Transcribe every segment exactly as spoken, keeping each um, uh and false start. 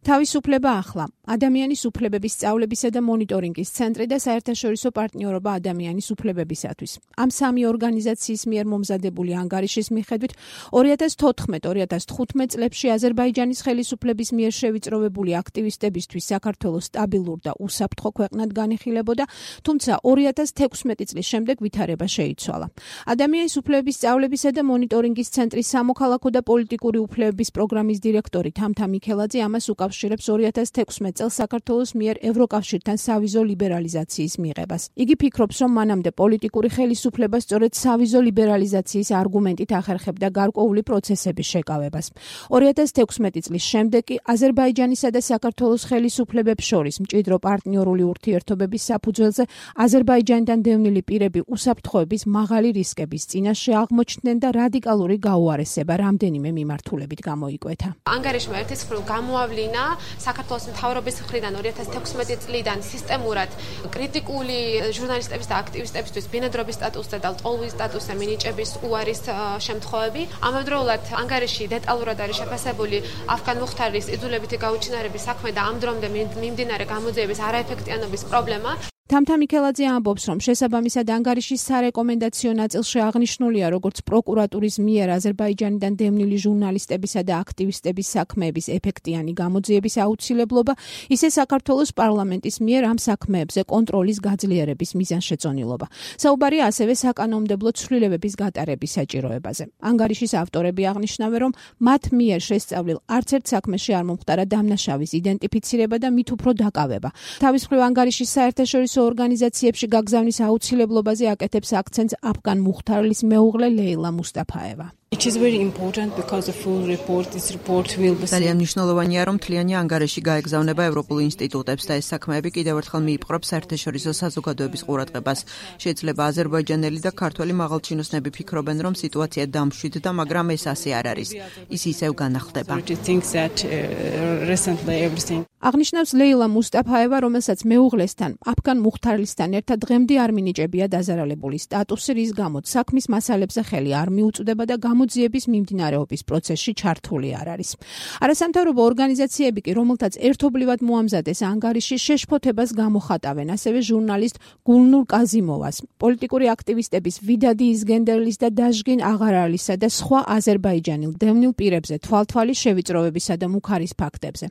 თავისუფლება ახლა. ადამიანის უფლებების სწავლებისა და მონიტორინგის ცენტრი და საერთაშორისო პარტნიორობა ადამიანის უფლებებისათვის. ამ სამი ორგანიზაციის მიერ მომზადებული ანგარიშის მიხედვით ორი ათას თოთხმეტ ორი ათას თხუთმეტ წლებში აზერბაიჯანის ხელისუფლების მიერ შევიწროვებული აქტივისტებისთვის საქართველოს სტაბილურ და უსაფრთხო ქვეყნად განიხილებოდა, თუმცა ორი ათას თექვსმეტი წლის შემდეგ ვითარება შეიცვალა. ადამიანის უფლებების სწავლებისა და მონიტორინგის ცენტრის სამოქალაქო და პოლიტიკური უფლებების პროგრამის დირექტორი თამთა მიქელაძე ამას უკავშირებს ორი ათას თექვსმეტ წელს საქართველოს მიერ ევროკავშირთან სავიზო ლიბერალიზაციის მიღებას. იგი ფიქრობს, რომ მანამდე პოლიტიკური ხელისუფლება სწორედ სავიზო ლიბერალიზაციის არგუმენტით ახერხებდა გარკვეული პროცესების შეკავებას. ორი ათას თექვსმეტი წლის შემდეგ კი აზერბაიჯანისა და საქართველოს ხელისუფლებებს შორის მჭიდრო პარტნიორული ურთიერთობების საფუძველზე აზერბაიჯანიდან დევნილი პირები უსაფრთხოების მაღალი რისკების წინაშე აღმოჩნდნენ და რადიკალური გაუარესება რამდენიმე მიმართულებით გამოიკვეთა. ანგარიშმა ერთის მხრივ გამოავლინა საქართველოს მთავრობის მხრიდან ორი ათას თექვსმეტი წლიდან სისტემურად კრიტიკული ჟურნალისტების და აქტივისტებისთვის ბინადრობის სტატუსზე და ლტოლვის სტატუსზე მინიჭების უარის შემთხვევები. ამავდროულად ანგარიში დეტალურად არის შეფასებული αφგან მუხთარის იძულებითი გაუჩინარების საქმე და ამ დრომდე მიმდინარე გამოძიების არაეფექტიანობის პრობლემა. თამთა მიქელაძე ამბობს, რომ შესაბამისად ანგარიშის სარეკომენდაციო ნაწილში აღნიშნულია, როგორც პროკურატურის მიერ აზერბაიჯანიდან დევნილი ჟურნალისტებისა და აქტივისტების საქმეების ეფექტიანი გამოძიების აუცილებლობა, ისე საქართველოს პარლამენტის მიერ ამ საქმეებზე კონტროლის გაძლიერების მიზანშეწონილობა. საუბარია ასევე საკანონმდებლო ცვლილებების გატარების საჭიროებაზე. ანგარიშის ავტორები აღნიშნავენ, რომ მათ მიერ შესწავლილ არც ერთ საქმეში არ მომხდარა დამნაშავის იდენტიფიცირება და მით უფრო დაკავება. თავის მხრივ ანგარიშის საერთაშორისო ორგანიზაციებში გაგზავნის აუცილებლობაზე აკეთებს აქცენტს აფგან მუხთარლის მეუღლე ლეილა მუსტაფაევა. ძალიან მნიშვნელოვანია, რომ მთლიანი ანგარიში გაეგზავნება ევროპულ ინსტიტუტებს და ეს საქმეები კიდევ ერთხელ მიიპყრობს საერთაშორისო საზოგადოების ყურადღებას. შეიძლება აზერბაიჯანელი და ქართველი მაღალჩინოსნები ფიქრობენ, რომ სიტუაცია დამშვიდდა, მაგრამ ეს ასე არ არის. ის ისევ განახლდება. აღნიშნავს ლეილა მუსტაფაევა, რომელსაც მეუღლესთან, აფგან მუხთარლისთან ერთად დღემდე არ მინიჭებია დაზარალებული სტატუსი, რის გამოც საქმის მასალებზე ხელი არ მიუწვდება და გამოძიების მიმდინარეობის პროცესში ჩართული არ არის. არასამთავრობო ორგანიზაციები კი, რომელთაც ერთობლივად მოამზადეს ანგარიში, შეშფოთებას გამოხატავენ ასევე ჟურნალისტ გულნურ კაზიმოვას, პოლიტიკური აქტივისტების ვიდადი იზგენდერლის და დაჟგინ აღარალისა და სხვა აზერბაიჯანელ დევნილ პირებზე თვალთვალი შევიწროვებისა და მუქარის ფაქტებზე.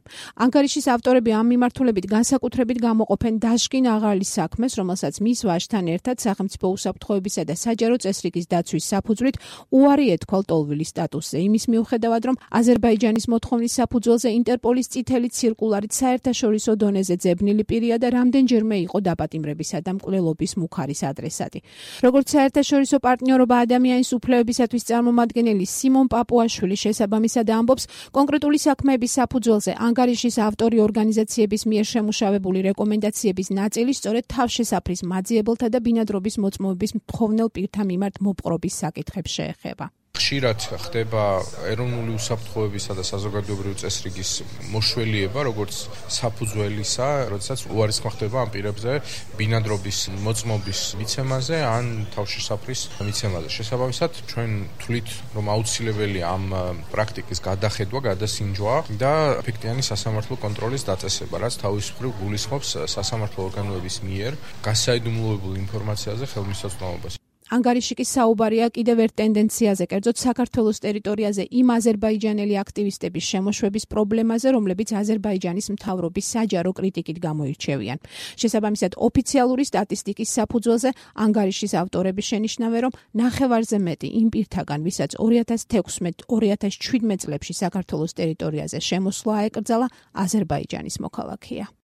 ანგარიშის ავტორები ამ მიმართულებით განსაკუთრებით გამოყოფენ დაჟგინ აღარალის საქმეს, რომელსაც მის ვაჟთან ერთად სახელმწიფო უსაფრთხოებისა და საჯარო წესრიგის დაცვის საფუძვლით უარი ეთქვა ლტოლვილის სტატუსზე, იმის მიუხედავად, რომ აზერბაიჯანის მოთხოვნის საფუძველზე ინტერპოლის წითელი ცირკულარით საერთაშორისო დონეზე ძებნილი პირია და რამდენჯერმე იყო დაპატიმრებისა და მკვლელობის მუქარის ადრესატი. როგორც საერთაშორისო პარტნიორობა ადამიანის უფლებებისათვის წარმომადგენელი სიმონ პაპუაშვილი შესაბამისად ამბობს, კონკრეტული საქმეების საფუძველზე ანგარიშის ავტორი ორგანიზაციების მიერ შემუშავებული რეკომენდაციების ნაწილი სწორედ თავშესაფრის მაძიებელთა და ბინადრობის მოწმობების მთხოვნელ პირთა მიმართ მოპყრობის საკითხებს შეეხება. ხშირად ხდება ეროვნული უსაფრთხოებისა და საზოგადოებრივი წესრიგის მოშველიება, როგორც საფუძველისა, როდესაც უარისხმა ხდება ამ პირებზე ბინადრობის მოწმობის მიცემაზე ან თავშესაფრის მიცემაზე. შესაბამისად, ჩვენ თვლით, რომ აუცილებელია ამ პრაქტიკის გადახედვა, გადასინჯვა და ეფექტიანი სასამართლო კონტროლის დაწესება, რაც თავის მხრივ გულისხმობს სასამართლო ორგანოების მიერ გასაიდუმლოებულ ინფორმაციაზე ხელმისაწვდომობას. ანგარიში კი საუბარია კიდევ ერთ ტენდენციაზე, კერძოდ საქართველოს ტერიტორიაზე იმ აზერბაიჯანელი აქტივისტების შემოშვების პრობლემაზე, რომლებიც აზერბაიჯანის მთავრობის საჯარო კრიტიკით გამოირჩევიან. შესაბამისად, ოფიციალური სტატისტიკის საფუძველზე ანგარიშის ავტორები შენიშნავენ, რომ ნახევარზე მეტი იმ პირთაგან, ვისაც ორი ათას თექვსმეტ ორი ათას შვიდმეტ წლებში საქართველოს ტერიტორიაზე შემოსვლა აეკრძალა, აზერბაიჯანის მოქალაქეა.